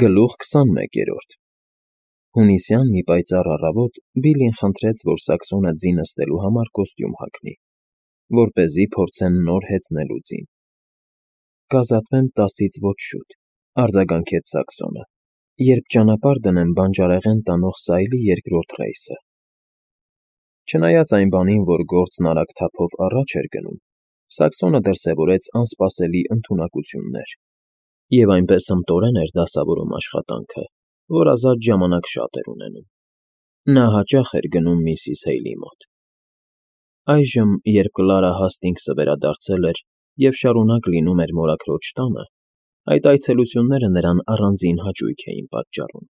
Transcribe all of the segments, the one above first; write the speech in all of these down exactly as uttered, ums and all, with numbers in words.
Գլուխ քսանմեկերորդ Հունիսյան մի պայծառ առավոտ Բիլլին խնդրեց, որ Սաքսոնը ձի նստելու համար կոստյում հագնի, որպեսզի փորձեն նոր հեծնելու ձին։ Կազատվեմ տասից ոչ շուտ, արձագանքեց Սաքսոնը, երբ ճանապարհ դնեմ բանջարեղեն տանող Սայլի երկրորդ ռեյսը։ Չնայած այն բանին, որ գործն արագ թափով առաջ էր գնում, Սաքսոնը դրսևորեց անսպասելի ընդունակություններ, և այնպես հմտորեն էր դասավորում աշխատանքը, որ ազատ ժամանակ շատ էր ունենում։ Նա հաճախ էր գնում միսիս Հեյլի մոտ։ Այժմ, երբ Կլարա Հասթինգսը վերադարձել էր և շարունակ լինում էր մորաքրոջ տանը, այդ այցելությունները նրան առանձին հաճույք էին պատճառում։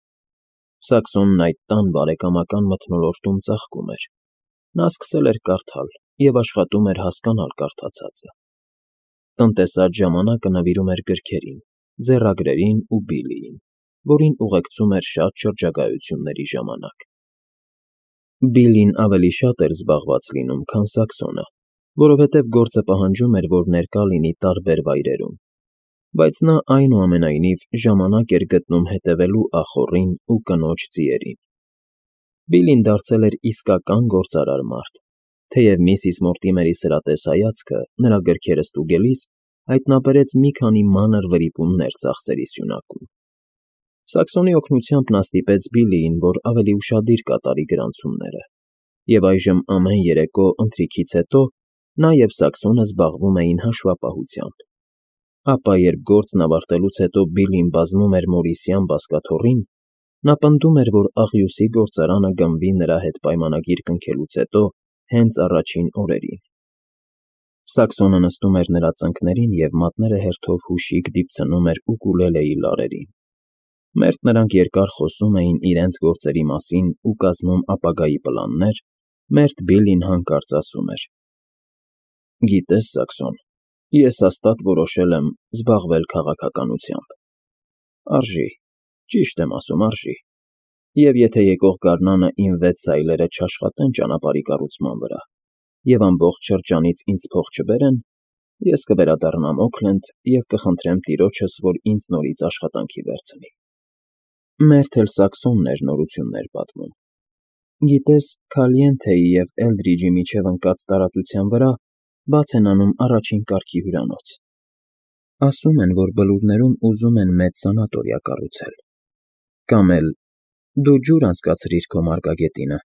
Սաքսոնն այդ տան բարեկամական մթնոլորտում ծաղկում էր։ Նա սկսել էր կարդալ և աշխատում էր հասկանալ կարդացածը։ Տնտեսած ժամանակը նվիրում էր գրքերին, ձեռագրերին ու Բիլլիին, որին ուղեկցում էր շատ շրջագայությունների ժամանակ։ Բիլլին ավելի շատ էր զբաղված լինում, քան Սաքսոնը, որովհետև գործը պահանջում էր, որ ներկա լինի տարբեր վայրերում, բայց նա, այնուամենայնիվ, ժամանակ էր գտնում հետևելու ախոռին ու կնոջ ձիերին։ Բիլլին դարձել էր իսկական գործարար մարդ, թեև միսիս Մորտիմերի սրատես հայացքը նրա գրքերը ստուգելիս հայտնաբերեց մի քանի մանր վրիպումներ ծախսերի սյունակում։ Սաքսոնի օգնությամբ նա ստիպեց Բիլլիին, որ ավելի ուշադիր կատարի գրանցումները, և այժմ ամեն երեկո ընթրիքից հետո նա և Սաքսոնը զբաղվում էին հաշվապահությամբ։ Ապա, երբ գործն ավարտելուց հետո Բիլլին բազմում էր Մորիսյան բազկաթոռին, նա պնդում էր, որ աղյուսի գործարանը գնվի նրա հետ պայմանագիր կնքելուց հետո հենց առաջին օրերին։ Սաքսոնը նստում էր նրա ծնկներին և մատները հերթով հուշիկ դիպցնում էր ուկուլելեի լարերին։ Մերթ նրանք երկար խոսում էին իրենց գործերի մասին ու կազմում ապագայի պլաններ, մերթ Բիլլին հանկարծ ասում էր. «Գիտես, Սաքսոն, ես հաստատ որոշել եմ զբաղվել քաղաքականությամբ։ Արժի, ճիշտ եմ ասում, արժի, և եթե եկող գարնանը իմ վեց սայլերը չաշխատեն ճանապարհի կառուցման վրա և ամբողջ շրջանից ինձ փող չբերեն, ես կվերադառնամ Օքլենդ և կխնդրեմ տիրոջս, որ ինձ նորից աշխատանքի վերցնի»։ Մերթ էլ Սաքսոնն էր նորություններ պատմում. «Գիտես, Քալիենթեի և Էլդրիջի միջև ընկած տարածության վրա բաց են անում առաջին կարգի հյուրանոց։ Ասում են, որ Բլուրներում ուզում են մեծ սանատորիա կառուցել։ Կամ էլ դու ջուր անցկացրիր քո մարգագետինը,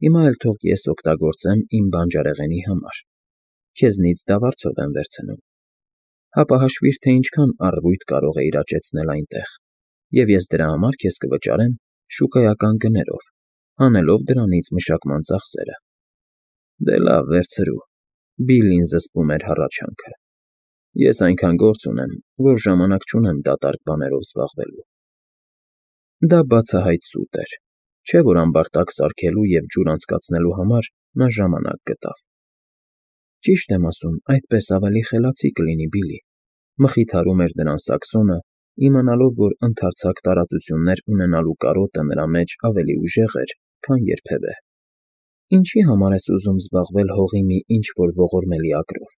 հիմա էլ թող ես օգտագործեմ իմ բանջարեղենի համար, քեզնից դավարձով եմ վերցնում։ Հապա հաշվիր, թե ինչքան առվույթ կարող էիր աճեցնել այնտեղ, և ես դրա համար քեզ կվճարեմ շուկայական գներով, հանելով դրանից մշակման ծախսերը»։ Դե լավ, վերցրու։ Բիլլին զսպում էր հառաչանքը։ Ես այնքան գործ ունեմ, որ ժամանակ չունեմ դատարկ բաներով զբաղվելու։ Դա բացահայտ սուտ էր, չէ՞ որ ամբարտակ սարքելու և ջուր անցկացնելու համար նա ժամանակ գտավ։ Ճիշտ եմ ասում, այդպես ավելի խելացի կլինի, Բիլլի, մխիթարում էր նրան Սաքսոնը, իմանալով, որ ընդարձակ տարածություններ ունենալու կարոտը նրա մեջ ավելի ուժեղ էր, քան երբևէ։ Ինչի համար ես ուզում զբաղվել հողի մի ինչ֊որ ողորմելի ագրով։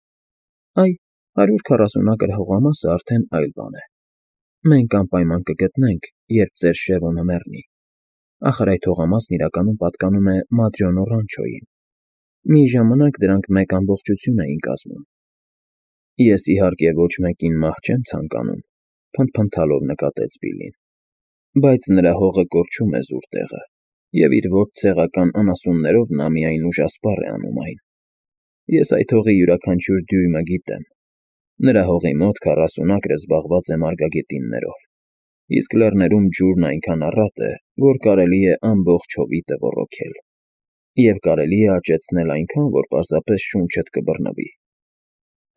Այ, հարյուր քառասուն ակր հողամասը արդեն այլ բան է։ Մենք անպայման կգտնենք, երբ ծեր Շևոնը մեռնի։ Ախր այդ հողամասն իրականում պատկանում է Մադրյոնո Ռանչոյին։ Մի ժամանակ դրանք մեկ ամբողջություն էին կազմում։ Ես, իհարկե, ոչ մեկին մահ չեմ ցանկանում, փնթփնթալով նկատեց Բիլլին, բայց նրա հողը կորչում է զուր տեղը, և իր ոչ ցեղական անասուններով նա միայն ուժասպառ է անում այն։ Ես այդ հողի յուրաքանչյուր դյույմը գիտեմ։ Նրա հողի մոտ քառասուն ակրը զբաղված է մարգագետիններով, իսկ լեռներում ջուրն այնքան առատ է, որ կարելի է ամբողջ հովիտը ոռոգել, և կարելի է աճեցնել այնքան, որ պարզապես շունչդ կբռնվի։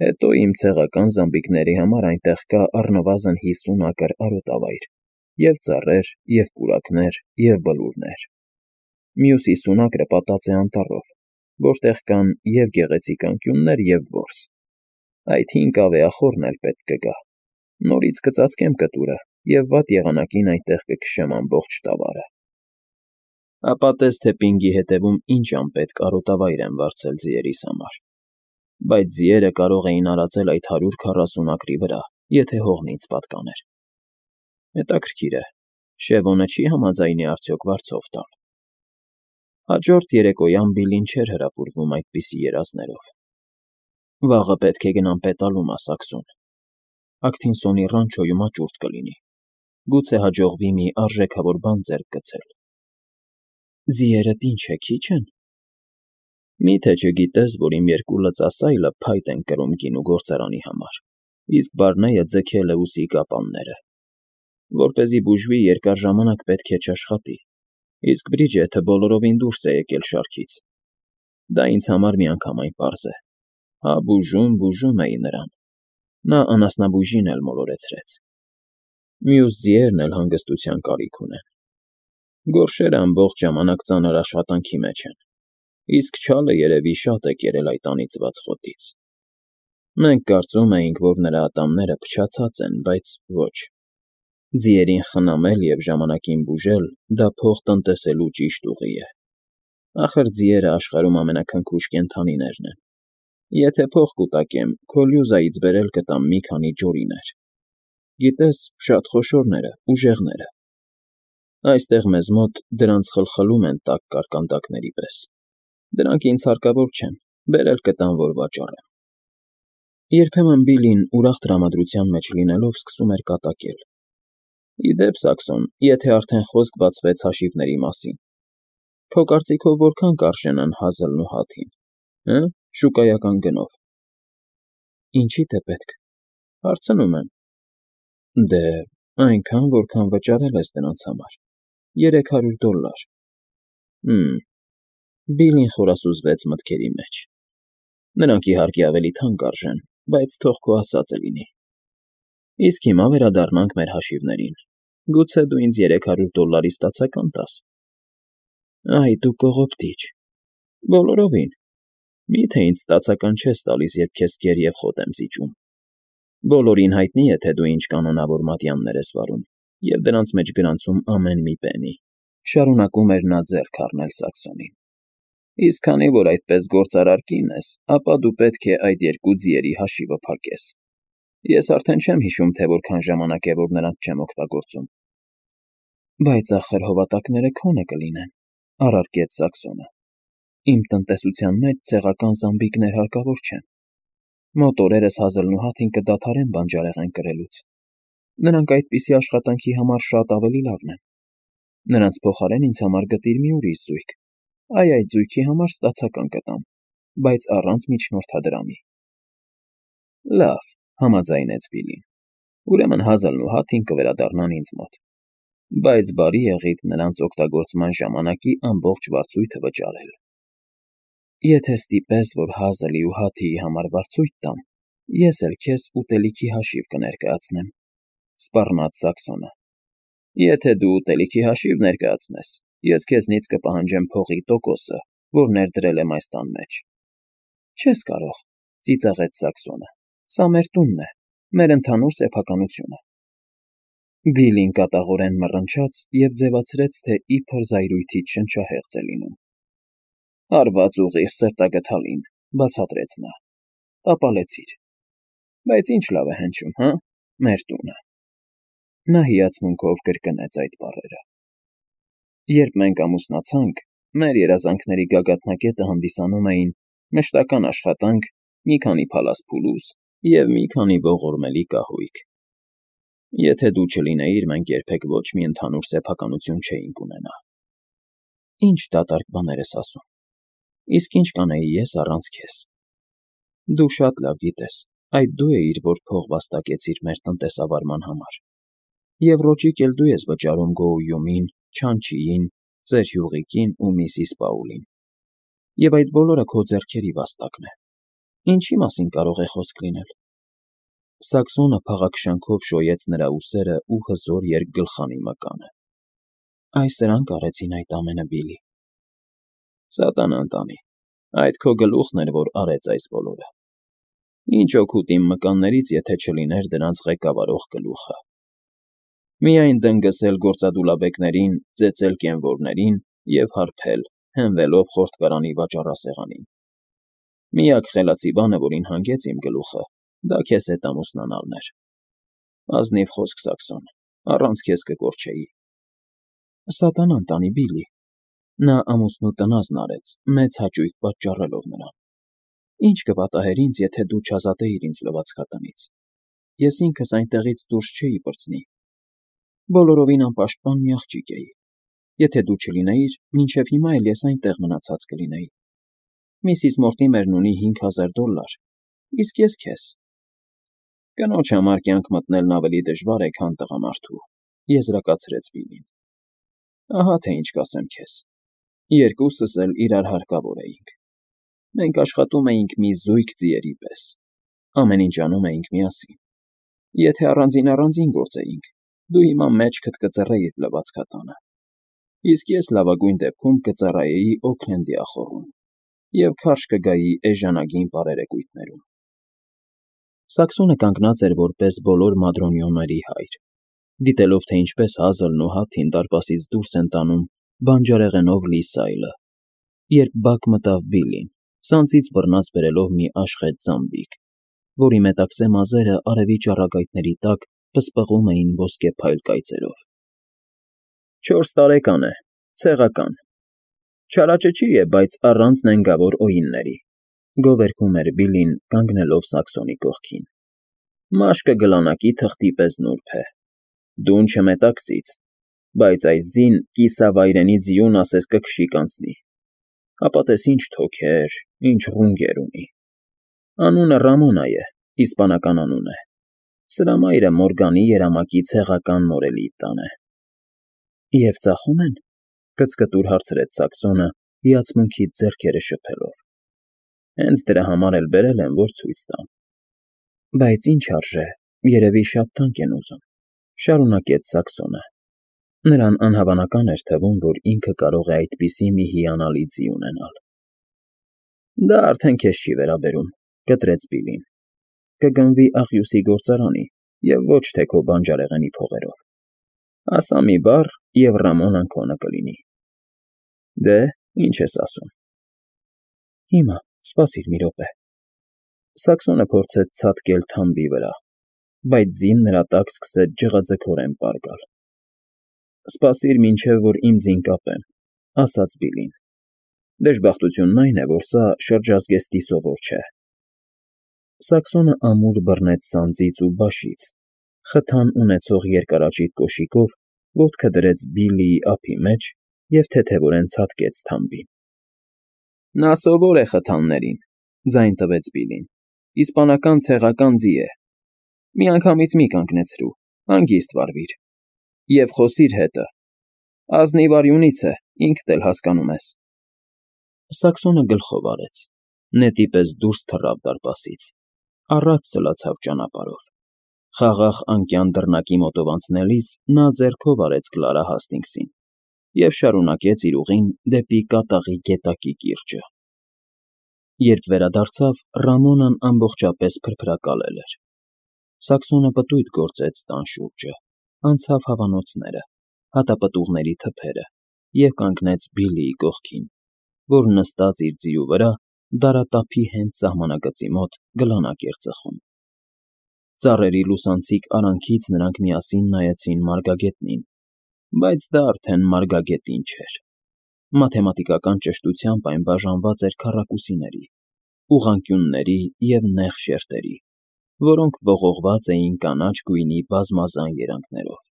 Հետո իմ ցեղական զամբիկների համար այնտեղ կա առնվազն հիսուն ակր արոտավայր, և ծառեր, և պուրակներ, և բլուրներ։ Մյուս հիսուն ակրը պատած է անտառով, որտեղ կան և գեղեցիկ անկյուններ, և որս։ Այդ հին կավեախոռն էլ պետք կգա։ Նորից կծածկեմ կտուրը և վատ եղանակին այնտեղ կքշեմ ամբողջ տավարը։ Ապա տես, թե պինգի հետևում ինչ անպետք արոտավայր եմ վարձել ձիերիս համար։ Բայց ձիերը կարող էին արածել այդ հարյուր քառասուն ակրի վրա, եթե հողն ինձ պատկաներ։ Հետաքրքիր է, Շևոնը չի համաձայնի արդյոք վարձով տալ։ Հաջորդ երեկոյան Բիլլին չէր հրապուրվում այդպիսի երազներով։ Վաղը պետք է գնամ պետալումա Սաքսոն։ Աքթինսոնի ռանչոյում աճուրդ կլինի։ Գուցե հաջողվի մի արժեքավոր բան ձեռք գցել։ Ձիերդ ինչ է, քիչ են։ Մի՞թե չգիտես, որ իմ երկու լծասայլը փայտ են կրում գինու գործարանի համար, իսկ Բարնեյը ձգել է ուսի կապանները։ Որպեսզի բուժվի, երկար ժամանակ պետք է չաշխատի, իսկ Բրիջեթը բոլորովին դուրս է եկել շարքից։ Դա ինձ համար միանգամայն պարզ է։ Հա բուժում, բուժում էի նրան։ Նա անասնաբույժին էլ մոլորեցրեց։ Մյուս ձիերն էլ հանգստության կարիք ունեն։ Գորշերը ամբողջ ժամանակ ծանր աշխատանքի մեջ են, իսկ չալը երևի շատ է կերել այդ անիծված խոտից։ Մենք կարծում էինք, որ նրա ատամները փչացած են, բայց ոչ։ Ձիերին խնամել և ժամանակին բուժել դա փող տնտեսելու ճիշտ ուղի է։ Ախր ձիերը աշխարհում ամենաքնքուշ կենդանիներն են։ Եթե փող կուտակեմ, քո լյուզայից բերել կտամ մի քանի ջորիներ։ Գիտես, շատ խոշորները, ուժեղները։ Այստեղ մեզ մոտ դրանց խլխլում են տաք կարկանդակների պես։ Դրանք ինձ հարկավոր չեն, բերել կտամ, որ վաճառեմ։ Երբեմն Բիլլին ուրախ տրամադրության մեջ լինելով սկսում էր կատակել։ Ի դեպ, Սաքսոն, եթե արդեն խոսք բացվեց հաշիվների մասին, քո կարծիքով որքան կարժենան հազլն ու հաթին, հը՞, շուկայական գնով։ Ինչի՞դ է պետք, հարցնում եմ։ Դե, այնքան, որքան վճարել ես դրանց համար, երեք հարյուր դոլլար։ Հմ, Բիլլին խորասուզվեց մտքերի մեջ։ Նրանք իհարկե ավելի թանկ արժեն, բայց թող քո ասածը լինի։ Իսկ հիմա վերադառնանք մեր հաշիվներին։ Գուցե դու ինձ երեք հարյուր դոլլարի ստացական տաս։ Այ դու կողոպտիչ։ Բոլորովին։ Մի՞թե ինձ ստացական չես տալիս, երբ քեզ կեր և խոտ եմ զիջում։ Բոլորին հայտնի է, թե դու ինչ կանոնավոր մատյաններ ես վարում, և դրանց մեջ գրանցում ամեն մի պենի։ Շարունակում էր նա ձեռք առնել Սաքսոնին։ Իսկ քանի որ այդպես գործարար կին ես, ապա դու պետք է այդ երկու ձիերի հաշիվը փակես։ Ես արդեն չեմ հիշում, թե որքան ժամանակ է, որ նրանց չեմ օգտագործում։ Բայց ախր հովատակները քոնը կլինեն, առարկեց Սաքսոնը։ Իմ տնտեսության մեջ ցեղական զամբիկներ հարկավոր չեն։ Մոտ օրերս հազլն ու հաթին կդադարեն բանջարեղեն կրելուց։ Նրանք այդպիսի աշխատանքի համար շատ ավելի լավն են։ Նրանց փոխարեն ինձ համար գտիր մի ուրիշ զույգ։ Այ այդ զույգի համար ստացական կտամ, բայց առանց միջնորդադրամի։ Լավ, համաձայնեց Բիլլին։ Ուրեմն հազլն ու հաթին կվերադառնան ինձ մոտ։ Բայց բարի եղիր նրանց օգտագործման ժամանակի ամբողջ վարձույթը վճարել։ Եթե ստիպես, որ հազլի ու հաթիի համար վարձույթ տամ, ես էլ քեզ ուտելիքի հաշիվ կներկայացնեմ, սպառնաց Սաքսոնը։ Եթե դու ուտելիքի հաշիվ ներկայացնես, ես քեզնից կպահանջեմ փողի տոկոսը, որ ներդրել եմ այս տան մեջ։ Չես կարող, ծիծաղեց Սաքսոնը։ Սա մեր տունն է, մեր ընդհանուր սեփականությունը։ Բիլլին կատաղորեն մռնչաց և ձևացրեց, թե իբր զայրույթից շնչահեղձ է լինում։ Հարված ուղիղ սրտագդալին, բացատրեց նա։ Տապալեցիր։ Բայց ինչ լավ է հնչում, հա՞, մեր տունը։ Նա հիացմունքով կրկնեց այդ բառերը։ Երբ մենք ամուսնացանք, մեր երազանքների գագաթնակետը հանդիսանում էին մշտական աշխատանք, մի քանի փալաս փուլուս և մի քանի ողորմելի կահույք։ Եթե դու չլինեիր, մենք երբեք ոչ մի ընդհանուր սեփականություն չէինք ունենա։ Ինչ դատարկ բաներ ես ասում։ Իսկ ինչ կանեի ես առանց քեզ։ Դու շատ լավ գիտես, այդ դու էիր, որ փող վաստակեցիր մեր տնտեսավարման համար։ Եվ ռոճիկ էլ դու ես վճարում Գոույումին, Չանչիին, ծեր Հյուղիկին ու միսիս Պաուլին։ Եվ այդ բոլորը քո ձեռքերի վաստակն է։ Ինչի մասին կարող է խոսք լինել։ Սաքսոնը փաղաքշանքով շոյեց նրա ուսերը ու հզոր երկգլխանի մկանը։ Այս սրանք արեցին այդ ամենը, Բիլլի։ Սատանան տանի, այդ քո գլուխն էր, որ արեց այս բոլորը։ Ինչ օգուտ իմ մկաններից, եթե չլիներ դրանց ղեկավարող գլուխը։ Միայն դնգսել գործադուլաբեկներին, ծեծել կենվորներին և հարբել, հենվելով խորտկարանի վաճառասեղանին։ Միակ խելացի բանը, որին հանգեց իմ գլուխը, դա քեզ հետ ամուսնանալն էր։ Ազնիվ խոսք, Սաքսոն, առանց քեզ կկորչեի։ Սատանան տանի, Բիլլի։ Նա ամուսնու տնազն արեց, մեծ հաճույք պատճառելով նրան։ Ինչ կպատահեր ինձ, եթե դու չազատեիր ինձ լվացքատնից։ Ես ինքս այնտեղից դուրս չէի պրծնի։ Բոլորովին անպաշտպան մի աղջիկ էի։ Եթե դու չլինեիր, մինչև հիմա էլ ես այնտեղ մնացած կլինեի։ Միսիս Մորտիմերն ունի հինգ հազար դոլլար, իսկ ես քեզ։ Կնոջ համար կյանք մտնելն ավելի դժվար է, քան տղամարդու, եզրակացրեց Բիլլին։ Ահա թե ինչ կասեմ քեզ. երկուսս էլ իրար հարկավոր էինք։ Մենք աշխատում էինք մի զույգ ձիերի պես, ամեն ինչ անում էինք միասին։ Եթե առանձին֊առանձին գործեինք, դու հիմա մեջքդ կծռեիր լվացքատանը, իսկ ես լավագույն դեպքում կծառայեի Օքլենդի ախոռում և քարշ կգայի էժանագին պարերեկույթներում։ Սաքսոնը կանգնած էր որպես բոլոր մադրոնյոների հայր, դիտելով, թե ինչպես Հազլն ու Հաթին դարպասից դուրս են տանում բանջարեղենով լի սայլը, երբ բակ մտավ Բիլլին, սանձից բռնած բերելով մի աշխեժ զամբիկ, որի մետաքսե մազերը արևի ճառագայթների տակ պսպղում էին ոսկեփայլ կայծերով։ Չորս տարեկան է, ցեղական, չարաճճի է, բայց առանց նենգավոր օինների, գովերգում էր Բիլլին, կանգնելով Սաքսոնի կողքին։ Մաշկը գլանակի թղթի պես նուրբ է, դուն չմետաքսից, բայց այս ձին կիսավայրենի ձիուն ասես կքշի կանցնի, ապա տես ինչ թոքեր, ինչ ռունգեր ունի։ Անունը Ռամոնա է, իսպանական անուն է, սրա մայրը Մորգանի երամակի ցեղական մորելիտան է։ Եվ ծախում են, կծկտուր հարցրեց Սաքսոնը, հիացմունքից ձեռքերը շփելով։ Հենց դրա համար էլ բերել եմ, որ ցույց տամ։ Բայց ինչ արժե, երևի շատ թանկ են ուզում, շարունակեց Սաքսոնը։ Նրան անհավանական էր թվում, որ ինքը կարող է այդպիսի մի հիանալի ձի ունենալ։ Դա արդեն քեզ չի վերաբերում, կտրեց Բիլլին։ Կգնվի աղյուսի գործարանի և ոչ թե քո բանջարեղենի փողերով։ Ասա մի բառ, և Ռամոնան քոնը կլինի։ Դե, ինչ ես ասում։ Հիմա, սպասիր մի րոպե։ Սաքսոնը փորձեց ցատկել թամբի վրա, բայց ձին նրա տակ սկսեց ջղաձգորեն պար գալ։ Սպասիր մինչև, որ իմ ձին կապեմ, ասաց Բիլլին։ Դժբախտությունն այն է, որ սա շրջազգեստի սովոր չէ։ Սաքսոնը ամուր բռնեց սանձից ու բաշից, խթան ունեցող երկարաճիտ կոշիկով ոտքը դրեց Բիլլիի ափի մեջ և թեթևորեն ցատկեց թամբին։ Նա սովոր է խթաններին, ձայն տվեց Բիլլին, իսպանական ցեղական ձի է։ Միանգամից մի կանգնեցրու, հանգիստ վարվիր և խոսիր հետը, ազնիվ արյունից է, ինքդ էլ հասկանում ես։ Սաքսոնը գլխով արեց, նետի պես դուրս թռավ դարպասից, առաջ սլացավ ճանապարհով։ Խաղաղ անկյան դռնակի մոտով անցնելիս նա ձեռքով արեց Կլարա Հասթինգսին և շարունակեց իր ուղին դեպի կատաղի գետակի կիրճը։ Երբ վերադարձավ, Ռամոնան ամբողջապես փրփրակալել էր։ Սաքսոնը պտույտ գործեց տան շուրջը, անցավ հավանոցները, հատապտուղների թփերը և կանգնեց Բիլլիի կողքին, որ նստած իր ձիու վրա դարատափի հենց սահմանագծի մոտ գլանակ էր ծխում։ Ծառերի լուսանցիկ արանքից նրանք միասին նայեցին մարգագետնին, բայց դա արդեն մարգագետին չէր։ Մաթեմատիկական ճշտությամբ այն բաժանված էր քառակուսիների, ուղղանկյունների և նեղ շերտերի, որոնք ողողված էին կանաչ գույնի բազմազան երանգներով։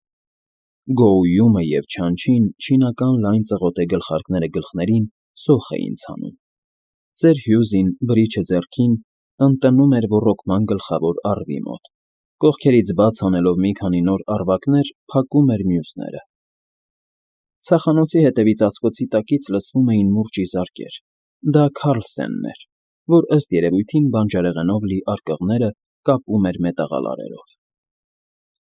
Գոույումը և Չանչին չինական լայն ծղոտե գլխարկները գլխներին սոխ էին ցանում։ Ծեր Հյուզին, բրիչը ձեռքին, ընտնում էր ոռոգման գլխավոր առվի մոտ, կողքերից բաց անելով մի քանի նոր առվակներ, փակում էր մյուսները։ Ցախանոցի հետևի ծածկոցի տակից լսվում էին մուրճի զարկեր։ Դա Քարլսենն էր, որ ըստ երևույթին բանջարեղենով լի արկղները կապում էր մետաղալարերով։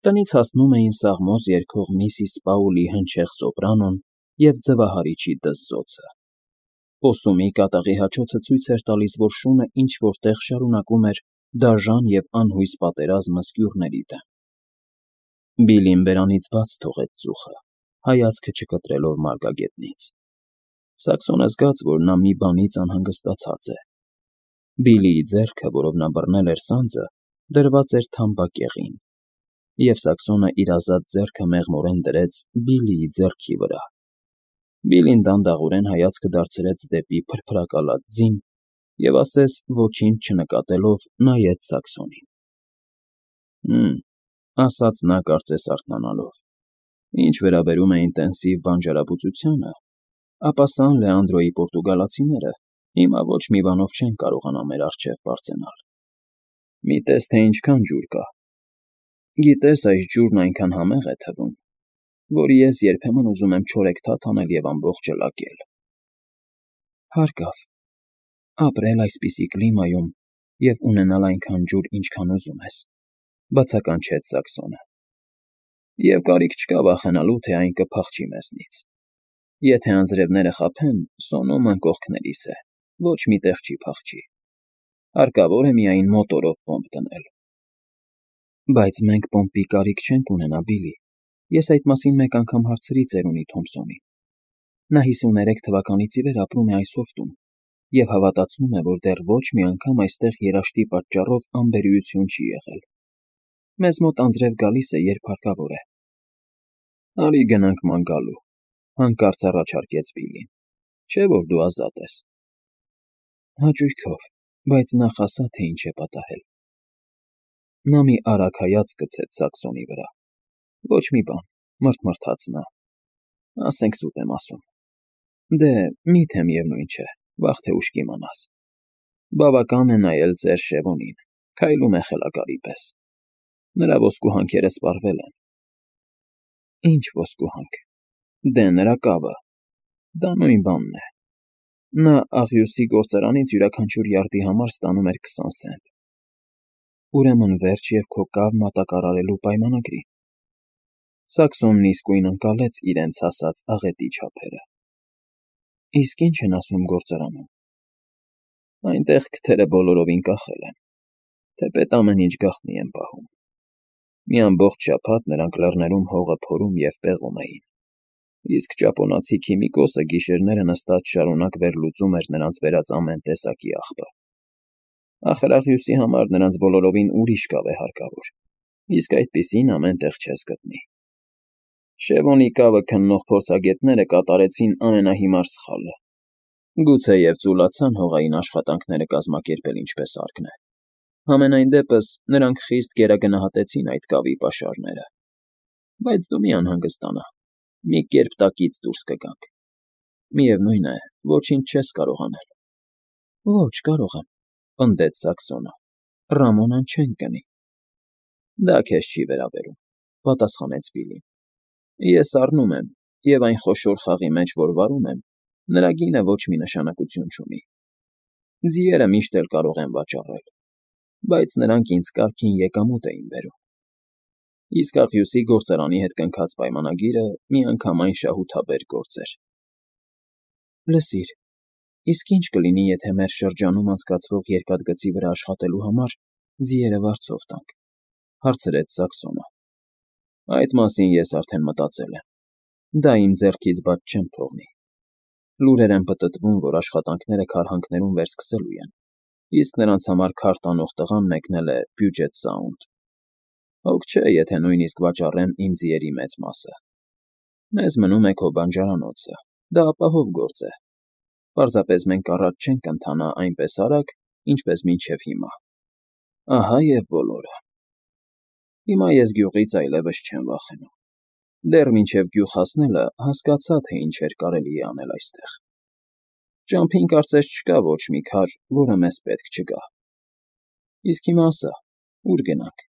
Տնից հասնում էին սաղմոս երգող միսիս Պաուլի հնչեղ սոպրանոն և ձվահարիչի դզզոցը։ Պոսումի կատաղի հաչոցը ցույց էր տալիս, որ շունը ինչ֊որ տեղ շարունակում էր դաժան և անհույս պատերազմը սկյուռների դեմ։ Բիլլին բերանից բաց թողեց ծուխը, հայացքը չկտրելով մարգագետնից։ Սաքսոնը զգաց, որ նա մի բանից անհանգստացած է։ Բիլլիի ձեռքը, որով նա բռնել էր սանձը, դրված էր թամբակեղին, և Սաքսոնը իր ազատ ձեռքը մեղմորեն դրեց Բիլլիի ձեռքի վրա, Բիլին դանդաղորեն հայացքը դարձրեց դեպի փրփրակալած ձին և ասես ոչինչ չնկատելով նայեց Սաքսոնին։ «Հը՛մ,֊ ասաց նա կարծես արթնանալով,֊ ինչ վերաբերում է ինտենսիվ բանջարաբուծությանը, ապա Սան Լեանդրոյի պորտուգալացիները հիմա ոչ մի բանով չեն կարողանա մեր առջև բարձրանալ։ Մի տես, թե ինչքան ջուր կա։ Գիտես, այս ջուրն այնքան համեղ է թվում, որ ես երբեմն ուզում եմ չորեքթաթ անել և ամբողջը լակել»։ «Հարկավ, ապրել այսպիսի կլիմայում և ունենալ այնքան ջուր, ինչքան ուզում ես,֊ բացականչեց Սաքսոնը,֊ և կարիք չկա վախենալու, թե այն կփախչի մեզնից։ Եթե անձրևները խաբեն, Սոնոմն կողքներիս է, ոչ մի տեղ չի փախչի։ Հարկավոր է միայն մոտորով պոմպ դնել»։ «Բայց մենք պոմպի կարիք չենք ունենա, Բիլլի, ես այդ մասին մեկ անգամ հարցրի ծերունի Թոմսոնին։ Նա հիսուներեք թվականից ի վեր ապրում է այս հովտում և հավատացնում է, որ դեռ ոչ մի անգամ այստեղ երաշտի պատճառով անբերիություն չի եղել։ Մեզ մոտ անձրև գալիս է, երբ հարկավոր է»։ «Արի գնանք ման գալու,֊ հանկարծ առաջարկեց Բիլլին,֊ չէ՞ որ դու ազատ ես»։ «Հաճույքով, բայց նախ ասա, թե ինչ է պատահել»։ Նա մի արագ հայացք գցեց Սաքսոնի վրա։ «Ոչ մի բան,֊ մռթմռթաց նա,֊ ասենք սուտ եմ ասում։ Դե, մի՞թե միևնույն չէ, վաղ թե ուշ կիմանաս։ Բավական է նայել ծեր Շևոնին, քայլում է խելագարի պես։ Նրա ոսկու հանքերը սպառվել են»։ «Ինչ ոսկու հանք»։ «Դե, նրա կավը։ Դա նույն բանն է։ Նա աղյուսի գործարանից յուրաքանչյուր յարդի համար ստանում էր քսան սենտ»։ «Ուրեմն վերջ և քո կավ մատակարարելու պայմանագրի»։ Սաքսոնն իսկույն ընկալեց իրենց հասած աղետի չափերը։ «Իսկ ի՞նչ են ասում գործարանում»։ «Այնտեղ քթերը բոլորովին կախել են, թեպետ ամեն ինչ գաղտնի են պահում։ Մի ամբողջ շաբաթ նրանք լեռներում հողը փորում և պեղում էին, իսկ ճապոնացի քիմիկոսը գիշերները նստած շարունակ վերլուծում էր նրանց բերած ամեն տեսակի աղբը։ Ախր աղյուսի համար նրանց բոլորովին ուրիշ կավ է հարկավոր, իսկ այդպիսին ամեն տեղ չես գտնի։ Շևոնի կավը քննող փորձագետները կատարեցին ամենահիմար սխալը։ Գուցեև ծուլացան հողային աշխատանքները կազմակերպել ինչպես հարկն է։ Համենայն դեպս նրանք խիստ գերագնահատեցին այդ կավի պաշարները։ Բայց դու մի անհանգստանա, մի կերպ տակից դուրս կգանք։ Միևնույն է, ոչինչ չես կարող անել»։ «Ոչ, կարող եմ,֊ պնդեց Սաքսոնը,֊ Ռամոնան չենք գնի»։ «Դա քեզ չի վերաբերում,֊ պատասխանեց Բիլլին։ «Ես առնում եմ, և այն խոշոր խաղի մեջ, որ վարում եմ, նրա գինը ոչ մի նշանակություն չունի։ Ձիերը միշտ էլ կարող եմ վաճառել, բայց նրանք ինձ կարգին եկամուտ էին բերում։ Իսկ աղյուսի գործարանի հետ կնքած պայմանագիրը միանգամայն շահութաբեր գործ էր»։ «Լսիր, իսկ ի՞նչ կլինի, եթե մեր շրջանում անցկացվող երկաթգծի վրա աշխատելու համար ձիերը վարձով տանք,֊ հարցրեց Սաքսոնը։ «Այդ մասին ես արդեն մտածել եմ։ Դա իմ ձեռքից բաց չեմ թողնի։ Լուրեր են պտտվում, որ աշխատանքները քարհանքներում վերսկսելու են, իսկ նրանց համար քար տանող տղան մեկնել է Պյուջետ Սաունդ։ Հոգ չէ, եթե նույնիսկ վաճառեմ իմ ձիերի մեծ մասը։ Մեզ մնում է քո բանջարանոցը, դա ապահով գործ է։ Պարզապես մենք առաջ չենք ընթանա այնպես արագ, ինչպես մինչև հիմա։ Ահա և բոլորը։ Հիմա ես գյուղից այլևս չեմ վախենում։ Դեռ մինչև գյուղ հասնելը հասկացա, թե ինչեր կարելի է անել այստեղ։ Ճամփին կարծես չկա ոչ մի քար, որը մեզ պետք չգա։ Իսկ հիմա ասա, ո՞ւր գնանք։